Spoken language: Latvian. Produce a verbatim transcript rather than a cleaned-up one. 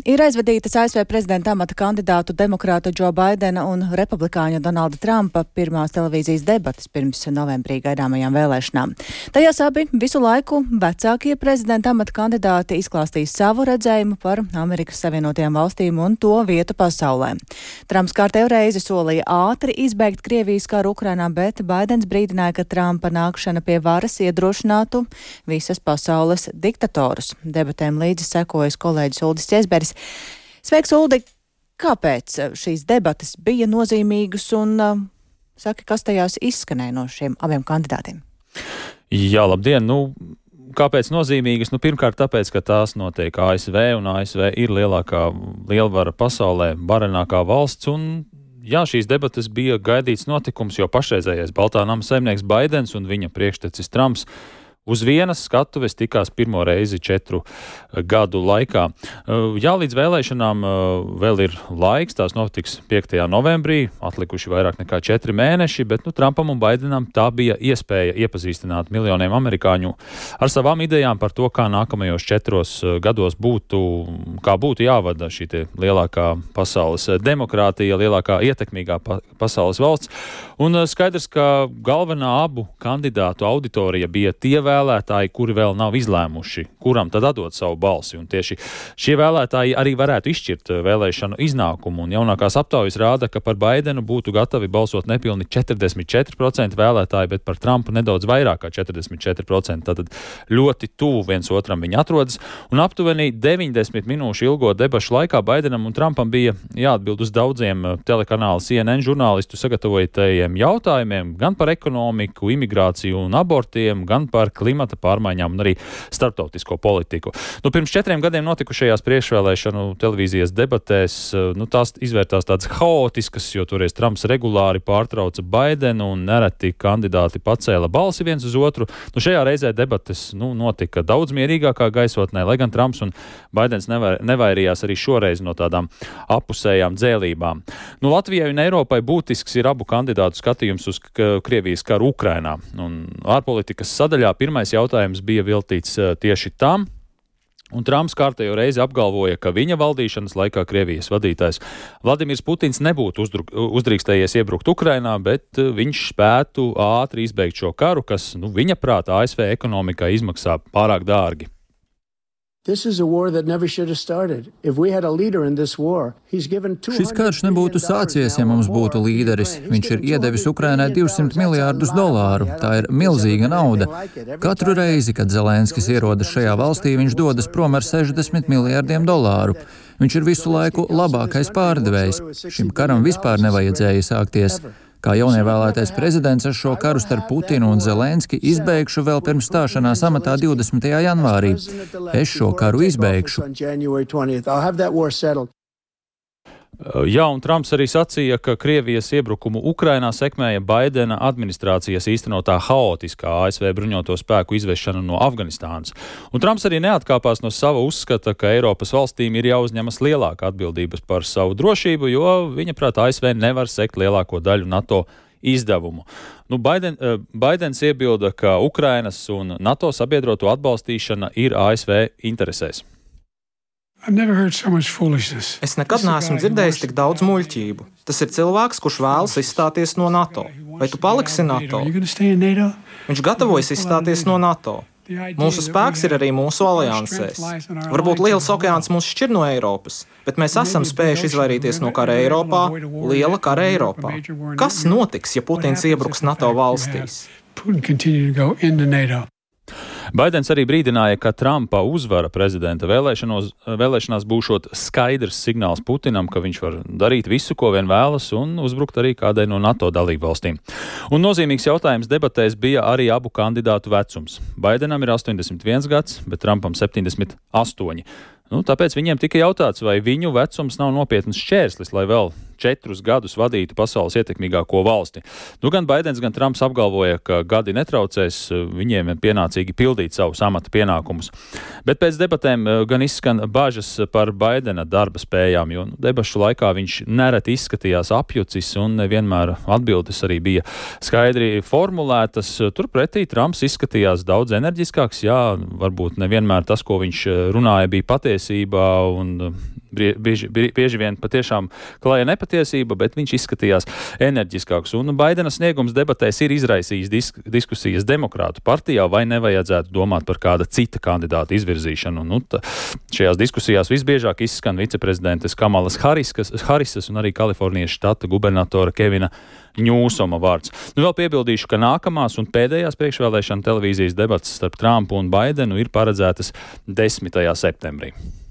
Ir aizvadītas A S V prezidenta amata kandidātu demokrāta Džo Baidena un republikāņu Donalda Trumpa pirmās televīzijas debatas pirms novembrī gaidāmajām vēlēšanām. Tajās abi visu laiku vecākie prezidenta amata kandidāti izklāstīs savu redzējumu par Amerikas Savienotajām valstīm un to vietu pasaulē. Trumps kārtējo reizi solīja ātri izbeigt Krievijas karu Ukrainā, bet Baidens brīdināja, ka Trumpa nākšana pie varas iedrošinātu visas pasaules diktatorus. Debatēm līdzi sekojas kolēģis Uldis Česberis. Sveiks, Uldi! Kāpēc šīs debatas bija nozīmīgas un uh, saki, kas tajās izskanēja no šiem abiem kandidātiem? Jā, labdien! Nu, kāpēc nozīmīgas? Nu, pirmkārt, tāpēc, ka tās notiek A S V, un A S V ir lielākā lielvara pasaulē, varenākā valsts, un jā, šīs debatas bija gaidīts notikums, jo pašreizējais Baltā nama saimnieks Baidens un viņa priekštecis Trumps uz vienas skatuves tikās pirmo reizi četru gadu laikā. Jā, līdz vēlēšanām vēl ir laiks, tās notiks piektajā novembrī, atlikuši vairāk nekā četri mēneši, bet nu, Trumpam un Baidenam tā bija iespēja iepazīstināt miljoniem amerikāņu ar savām idejām par to, kā nākamajos četros gados būtu, kā būtu jāvada šī te lielākā pasaules demokrātija, lielākā ietekmīgā pa pasaules valsts. Un skaidrs, ka galvenā abu kandidātu auditorija bija tie vēlētāji, kuri vēl nav izlēmuši, kuram tad atdot savu balsi. Un tieši šie vēlētāji arī varētu izšķirt vēlēšanu iznākumu. Un jaunākās aptaujas rāda, ka par Baidenu būtu gatavi balsot nepilni četrdesmit četri procenti vēlētāji, bet par Trumpu nedaudz vairāk kā četrdesmit četri procenti. Tātad ļoti tuvu viens otram viņi atrodas. Un aptuveni deviņdesmit minūšu ilgo debašu laikā Baidenam un Trumpam bija jāatbild uz daudziem telekanāla C N N žurnālistu sagatavotajiem jautājumiem, gan par ekonomiku, imigrāciju un abortiem, gan par klimata pārmaiņām un arī starptautisko politiku. Nu, pirms četriem gadiem notikušajās priekšvēlēšanu televīzijas debatēs, nu, tās izvērtās tādas haotiskas, jo toreiz Trumps regulāri pārtrauca Baidenu un nereti kandidāti pacēla balsi viens uz otru. Nu, šajā reizē debates nu, notika daudz mierīgākā gaisotnē, lai gan Trumps un Baidens nevar, nevairījās arī šoreiz no tādām apusējām dzēlībām. Nu, Latvijai un Eiropai būtisks ir abu kandidātu skatījums uz Krievijas karu Ukrainā. Un ārpolitikas sadaļā pirmais jautājums bija veltīts tieši tam, un Trumps kārtējo reizi apgalvoja, ka viņa valdīšanas laikā Krievijas vadītājs Vladimirs Putins nebūtu uzdrīkstējies iebrukt Ukrainā, bet viņš spētu ātri izbeigt šo karu, kas, nu, viņa prātā A S V ekonomikai izmaksā pārāk dārgi. Šis karš nebūtu sācies, ja mums būtu līderis. Viņš ir iedevis Ukrainai divsimt miljārdus dolāru. Tā ir milzīga nauda. Katru reizi, kad Zelenskis ierodas šajā valstī, viņš dodas prom ar sešdesmit miljārdiem dolāru. Viņš ir visu laiku labākais pārdevējs. Šim karam vispār nevajadzēja sākties. Kā jaunievēlētais prezidents ar šo karu starp Putinu un Zelenski izbeigšu vēl pirms stāšanās amatā divdesmitajā janvārī. Es šo karu izbeigšu. Jā, un Trumps arī sacīja, ka Krievijas iebrukumu Ukrainā sekmēja Baidena administrācijas īstenotā haotiskā A S V bruņoto spēku izvešana no Afganistānas. Un Trumps arī neatkāpās no sava uzskata, ka Eiropas valstīm ir jāuzņemas lielāka atbildības par savu drošību, jo viņa prāt A S V nevar sekt lielāko daļu NATO izdevumu. Nu, Baiden, Baidens iebilda, ka Ukrainas un NATO sabiedroto atbalstīšana ir A S V interesēs. Es nekad neesmu dzirdējis tik daudz muļķību. Tas ir cilvēks, kurš vēlas izstāties no NATO. Vai tu paliksi NATO? Viņš gatavojas izstāties no NATO. Mūsu spēks ir arī mūsu aliansēs. Varbūt liels okeāns mūs šķir no Eiropas, bet mēs esam spējuši izvairīties no kara Eiropā, liela kara Eiropā. Kas notiks, ja Putins iebruks NATO valstīs? Baidens arī brīdināja, ka Trumpa uzvara prezidenta vēlēšanās būšot skaidrs signāls Putinam, ka viņš var darīt visu, ko vien vēlas, un uzbrukt arī kādai no NATO dalību valstīm. Un nozīmīgs jautājums debatēs bija arī abu kandidātu vecums. Baidenam ir astoņdesmit viens gads, bet Trumpam septiņdesmit astoņi. Nu, tāpēc viņiem tika jautāts, vai viņu vecums nav nopietns šķērslis, lai vēl četrus gadus vadītu pasaules ietekmīgāko valsti. Nu, gan Baidens, gan Trumps apgalvoja, ka gadi netraucēs viņiem pienācīgi pildīt savus amata pienākumus. Bet pēc debatēm gan izskan bažas par Baidena darba spējām, jo nu, debašu laikā viņš nereti izskatījās apjucis un nevienmēr atbildes arī bija skaidri formulētas. Turpretī Trumps izskatījās daudz enerģiskāks, jā, varbūt nevienmēr tas, ko viņš runāja, bija patiesi patiesībā un bieži, bieži vien patiešām klāja nepatiesība, bet viņš izskatījās enerģiskāks. Un Baidena sniegums debatēs ir izraisījis disk, diskusijas demokrātu partijā, vai nevajadzētu domāt par kāda cita kandidāta izvirzīšanu. Nu, tā, šajās diskusijās visbiežāk izskan viceprezidentes Kamalas Hariskas, Harisas un arī Kalifornijas štata gubernatora Kevina Ņūsoma vārds. Nu, vēl piebildīšu, ka nākamās un pēdējās priekšvēlēšana televīzijas debatas starp Trumpu un Baidenu ir paredzētas desmitajā septembrī.